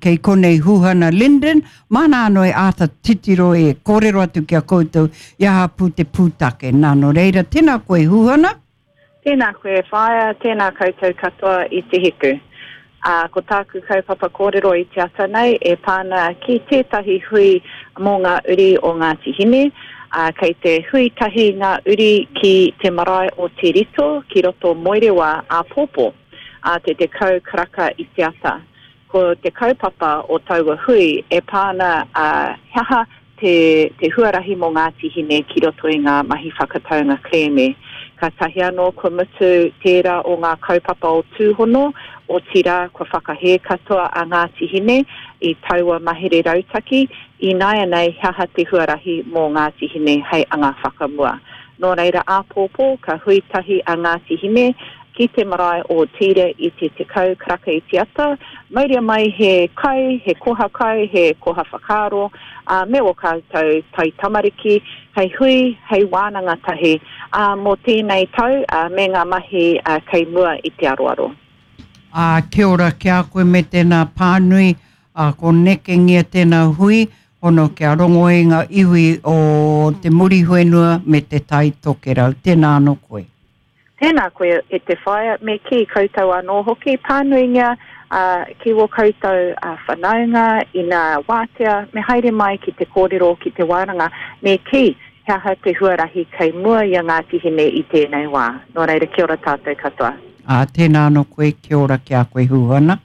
kei konei Huhana Lyndon, māna anō e āta titiro e kōrero atu ki a koutou i aha pū te pūtake. Nā, nō reira, tēnā koe Huhana. Tēnā koe e whaea, tēnā koutou katoa i te hiku. Ā, ko tāku kaupapa kōrero i te ata nei e pā ana ki tētahi hui mō ngā uri o Ngāti Hine. Ā, kei te hui tahi ngā uri ki te marae o Te Rito ki roto Moerewa āpōpō, ā te 10 karaka i te ata. Ko te kaupapa o taua hui e pā ana ā, he aha te, te huarahi mō Ngāti Hine ki roto i ngā mahi whakataunga kerēme. Kātahi anō kua mutu tērā o ngā kaupapa o Tūhono, otirā kua whakahē katoa a Ngāti Hine i taua mahere rautaki, ināianei he aha te huarahi mō Ngāti Hine hei anga whakamua. Nō reira āpōpō ka hui tahi a Ngāti Hine ki te marae o Tīra i te 10 karaka i te ata, mauria mai he kai, he koha kai, he koha whakaaro, ā, me ō kātou taitamariki, hei hui, hei wānanga tahi, ā, mō tēnei tau, ā, me ngā mahi, ā, kei mua i te aroaro. Ā, kia ora ki a koe me tēnā pānui, ā, ko nekengia tēnā hui, hono kia rongo ai ngā iwi o te Muriwhenua me te Tai Tokerau. Tēnā anō koe. Tēnā koe e te whaea, me kī koutou anō hoki, pānuingia ki wō koutou whanaunga ina wātea, me haere mai ki te kōrero, ki te wānanga, me kī he aha te huarahi kei mua i a Ngāti Hine i tēnei wā. Nō reira, kia ora tātou katoa. Ā, tēnā anō koe, kia ora ki a koe Huhana.